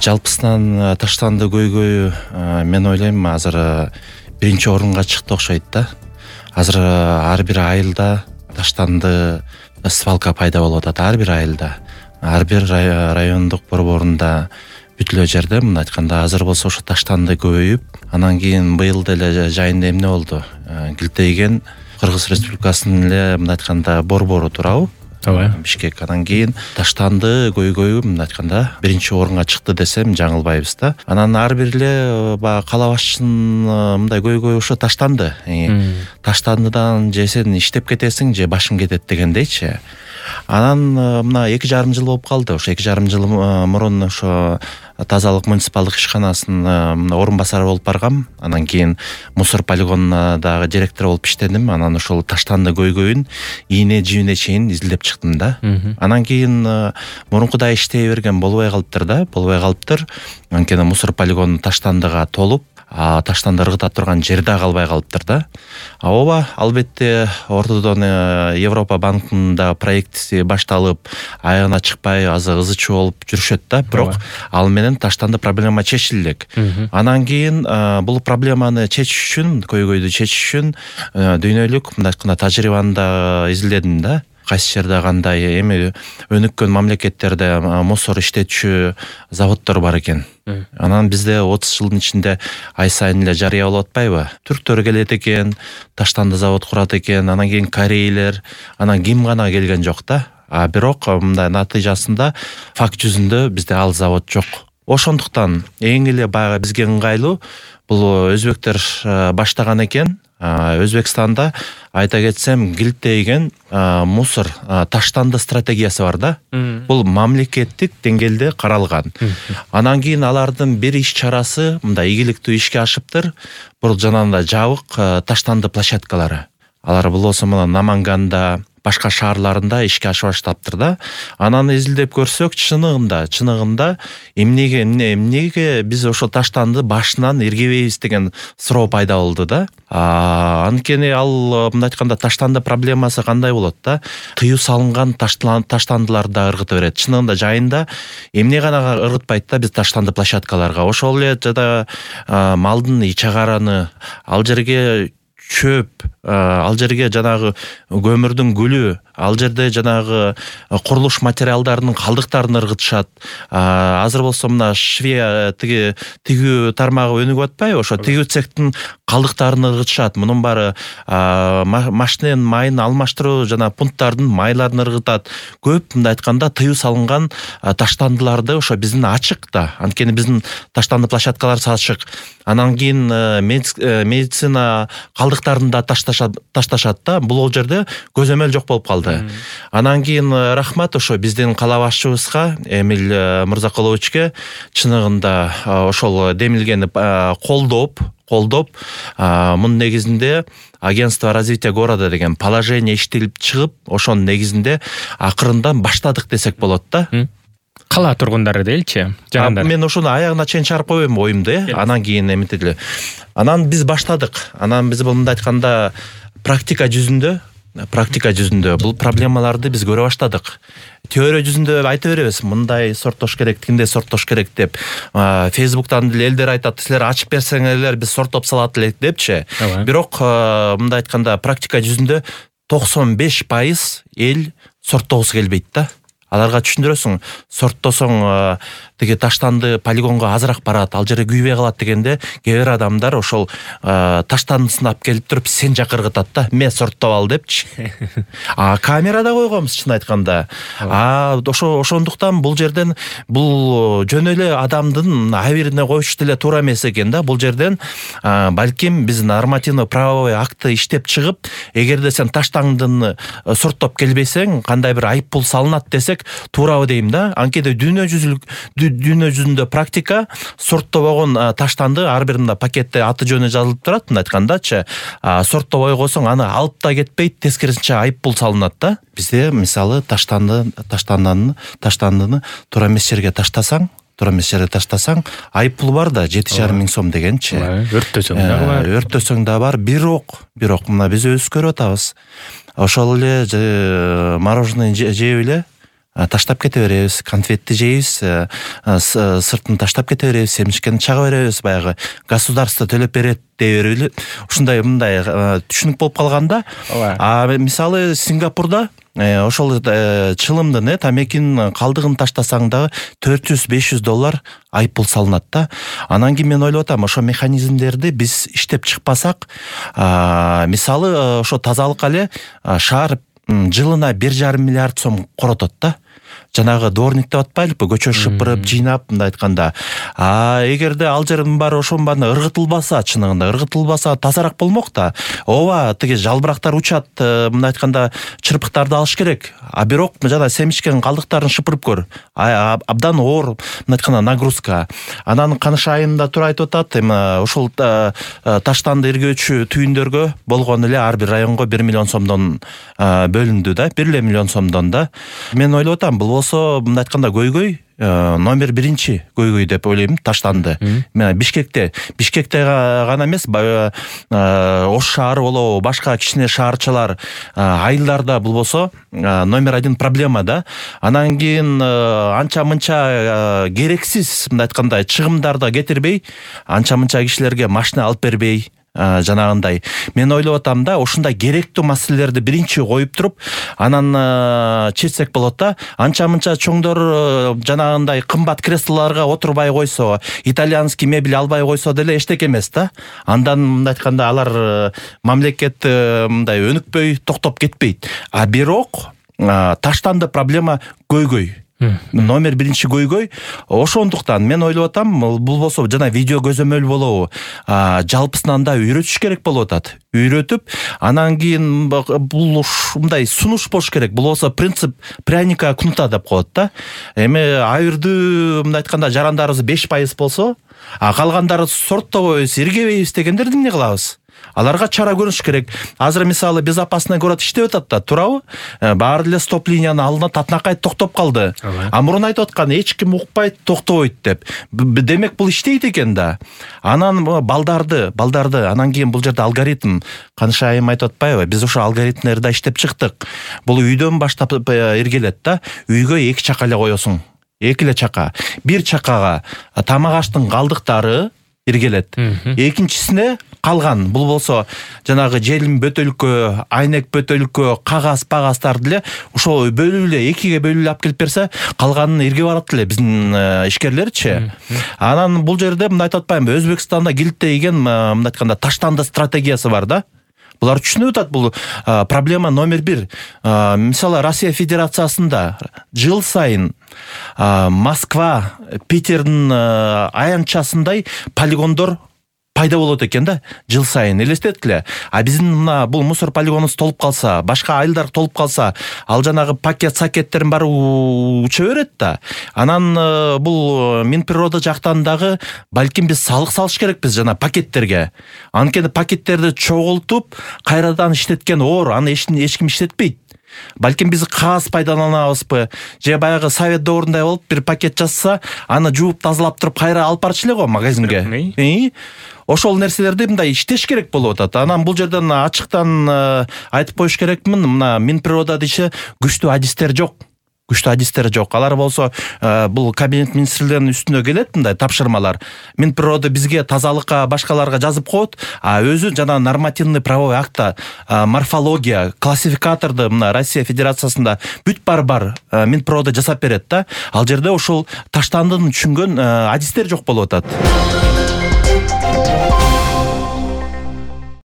Жалпысынан таштанды көйгөйү мен ойлойм азыр биринчи орунга чыкты окшойт да. Азыр ар бир айылда таштанды свалка пайда болуп атат, ар бир айылда, ар бир райондук борборунда, бүт эле жерде. Мындай айтканда азыр болсо ошо таштанды көбөйүп, анан кийин быйыл деле жайында эмне болду? Килтейген Кыргыз Республикасынын эле мындай айтканда борбору турабы? Бишкек. Анан кийин таштанды көйгөйү мындай айтканда биринчи орунга чыкты десем жаңылбайбыз да. Анан ар бир эле баягы кала башчынын мындай көйгөйү ошо таштанды. Таштандыдан же сен иштеп кетесиң, же башым кетет дегендейчи. Анан мына 2,5 жыл болуп калды. Ошо 2,5 жыл мурун ошо тазалык муниципалдык ишканасынын орун басары болуп баргам. Анан кийин мусор полигонуна дагы директор болуп иштедим. Анан ошол таштанды көйгөйүн ийне жибине чейин изилдеп чыктым да. Анан кийин мурункудай иштей берген болбой калыптыр. Анткени мусор полигону таштандыга толуп, таштанды ыргыта турган жер да калбай калыптыр да. Ооба, албетте ортодон Европа банкында проекти башталып, аягына чыкпай азыр ызы чуу болуп жүрүшөт да. Бирок ал менен таштанды проблема чечиле элек. Анан кийин бул проблеманы чечиш үчүн, көйгөйдү чечиш үчүн дүйнөлүк мындай айтканда тажрыйбаны да изилдедим да. Кайсы жерде кандай эми өнүккөн мамлекеттерде мусор иштетчү заводдор бар экен. Анан бизде 30 жылдын ичинде ай сайын эле жарыя болуп атпайбы? Түрктөр келет экен, таштанды завод курат экен, анан кийин корейлер, анан ким гана келген жок да. Бирок мындай натыйжасында факт жүзүндө бизде ал завод жок. Ошондуктан эң эле баягы бизге ыңгайлуу бул өзбектер баштаган экен. Өзбекстанда айта кетсем килтейген мусор таштанды стратегиясы бар да. Бул мамлекеттик деңгээлде каралган. Анан кийин алардын бир иш чарасы мындай ийгиликтүү ишке ашыптыр. Бул жанагындай жабык таштанды площадкалары. Алар болсо мына Наманганда, башка шаарларында ишке ашып баштаптыр да. Анан изилдеп көрсөк, чыныгында эмнеге биз ошо таштанды башынан иргебейбиз деген суроо пайда болду да. Анткени ал мындай айтканда таштанды проблемасы кандай болот да? Тыюу салынган таштандыларды да ыргыта берет. Чыныгында жайында эмне гана ыргытпайт да биз таштанды площадкаларга. Ошол эле жада малдын ичагараны, ал жерге чөп, ал жерге жанагы көмүрдүн гүлү, ал жерде жанагы курулуш материалдарынын калдыктарын ыргытышат. Азыр болсо мына Швея тигүү тармагы өнүгүп атпайбы? Ошо тигүү цехтин калдыктарын ыргытышат. Мунун баары машиненин майын алмаштыруу жана пункттардын майларын ыргытат. Көп мындай айтканда тыюу салынган таштандыларды ошо биздин ачык да. Анткени биздин таштанды площадкаларыбыз ачык. Анан кийин медицина калдыктарын да ташташат да. Бул жерде көзөмөл жок болуп калды. Анан кийин рахмат ошо биздин кала башчыбызга Эмиль Мырзакуловичке чыныгында ошол демилгени колдоп, мунун негизинде агентство развития города деген положение иштелип чыгып, ошонун негизинде акырындан баштадык десек болот да. Кала тургундары делчи, жагында. Мен ошону аягына чейин чыгарып койбойм оюмду, анан кийин эметели. Анан биз баштадык. Анан биз мындай айтканда практика жүзүндө бул проблемаларды биз көрө баштадык. Теория жүзүндө айта беребиз, мындай сорттош керек, тиндей сорттош керек деп. Фейсбуктан деле элдер айтат, силер ачып берсеңер биз сорттоп салат элек депчи. Бирок мындай айтканда практика жүзүндө 95% эл сорттогусу келбейт да. Аларга түшүндүрөсүң, сорттосоң тиги таштанды полигонго азыраак барат, ал жерде күйбөй калат дегенде, кээ бир адамдар ошол таштандысын алып келип туруп сен жакка ыргытат да, мен сорттоп ал депчи. Камерада койгонбуз чын айтканда. Ошондуктан бул жерден бул жөн эле адамдын абирине коюш деле туура эмес экен да. Бул жерден балким биз нормативно правовой акты иштеп чыгып, эгерде сен таштандыны сорттоп келбесең, кандай бир айып пул салынат десек туурабы дейм да. Анткени дүйнө жүзүндө практика сорттобогон таштанды ар бир пакетте аты жөнү жазылып турат, мындай айткандачы. Сорттобой койсоң аны алып да кетпейт, тескерисинче айып пул салынат да. Бизде мисалы таштандыны туура эмес жерге таштасаң, айып пул бар да, 7,5 миң сом дегенчи. Өрттөсөң да бар. Бирок мына биз өзүбүз көрүп атабыз. Ошол эле мороженое жеп эле таштап кете беребиз, конфетти жейбиз, сыртын таштап кете беребиз, семишкени чага беребиз, баягы государство төлөп берет дей берели. Ушундай мындай түшүнүк болуп калганда, мисалы Сингапурда ошол чылымдын тамекинин калдыгын таштасаң дагы $400-500 айып пул салынат да. Анан кийин мен ойлоп атам, ошо механизмдерди биз иштеп чыкпасак, мисалы ошо тазалыкка эле шаар жылына 1,5 миллиард сом коротот да. Жанагы дворник деп атпайлыкпы, көчө шыпырып, жыйнап, мындай айтканда. Эгерде ал жердин баары ошонун баары ыргытылбаса, чыныгында ыргытылбаса тазараак болмок да. Ооба, тиги жалбырактар учат, мындай айтканда чырпыктарды алыш керек. Бирок жана семишкен калдыктарын шыпырып көр. Абдан оор, мындай айтканда нагрузка. Анан Каныш айында тура айтып атат, ошол таштанды иргөөчү түйүндөргө болгон эле ар бир районго 1 миллион сомдон бөлүндү да, 1 миллион сомдон да. Мен ойлоп атам, бул болсо мындай айтканда көйгөй номер 1 көйгөй деп ойлойм, таштанды. Бишкекте гана эмес, Ош шаары болобу, башка кичине шаарчалар, айылдарда бул болсо номер 1 проблема да. Анан кийин анча-мынча керексиз, мындай айтканда чыгымдарды кетирбей, анча-мынча кишилерге машина алып бербей, жанагындай. Мен ойлоп атам да, ушундай керектүү маселелерди биринчи коюп туруп, анан чечсек болот да. Анча-мынча чоңдор жанагындай кымбат креслолорго отурбай койсо, итальянский мебель албай койсо деле эчтеке эмес да. Андан мындай айтканда алар мамлекет мындай өнүкпөй, токтоп кетпейт. Бирок таштанды проблема көйгөй. Номер 1 көйгөй. Ошондуктан мен ойлоп атам, бул болсо жана видео көзөмөл болобу, жалпысынан да үйрөтүш керек болуп атат. Үйрөтүп, анан кийин бул мындай сунуш болуш керек. Бул болсо принцип пряника кнута деп коет да. Эми айырдуу мындай айтканда жарандарыбыз 5% болсо, калгандары сорттобойбуз, иргебейбиз дегендерди эмне кылабыз? Аларга чара көрүш керек. Азыр мисалы безопасный город иштеп атат да, туурабы? Баары эле стоп линияны алынат, татынакай токтоп калды. Мурун айтып аткан эч ким укпайт, токтобойт деп. Демек бул иштейт экен да. Анан балдарды, анан кийин бул жерде алгоритм, Каныш айым айтып атпайбы? Биз ошо алгоритмдерди иштеп чыктык. Бул үйдөн баштап иргелет да. Үйгө 2 чака эле коесуң. 2 эле чака. Бир чакага тамак аштын калдыктары иргелет. Экинчисине калган, бул болсо жанагы желим бөтөлкө, айнек бөтөлкө, кагаз-пагастарды эле ошо бөлүп эле 2ге бөлүп алып келип берсе, калганын ирге барат эле биздин ишкерлерчи. Анан бул жерде мындай айтып атпаймынбы, Өзбекстанда килиттейген мындай айтканда таштанды стратегиясы бар да. Булар түшүнүп атат, бул проблема номер 1. Мисалы Россия Федерациясында жыл сайын Москва, Питердин аянтчасындай полигондор пайда болот экен да, жыл сайын. Элестеткиле. Биздин мына бул мусор полигонубуз толуп калса, башка айылдар толуп калса, ал жанагы пакет-сакеттерин баары уча берет да. Анан бул Минприрода жактан дагы балким биз салык салыш керекпиз жана пакеттерге. Анткени пакеттерди чогултуп, кайрадан иштеткен оор, аны эч ким иштетпейт. Балким биз кагаз пайдаланабызбы, же баягы совет дöwрүндай болуп бир пакет жазса, аны жууп тазалап туруп кайра алып барчу эле го магазинге. Ошол нерселерди мындай иштеш керек болуп атат. Анан бул жерден ачыктан айтып коюш керекмин, мына Минприрода десе күчтүү адистер жок. Алар болсо бул кабинет министрлеринин үстүнө келет мындай тапшырмалар. Минприрода бизге тазалыкка, башкаларга жазып коет, өзү жана нормативный правовой акта, морфология, классификаторду мына Россия Федерациясында бүт бар Минприрода жасап берет да. Ал жерде ошол таштандыны түшүнгөн адистер жок болуп атат.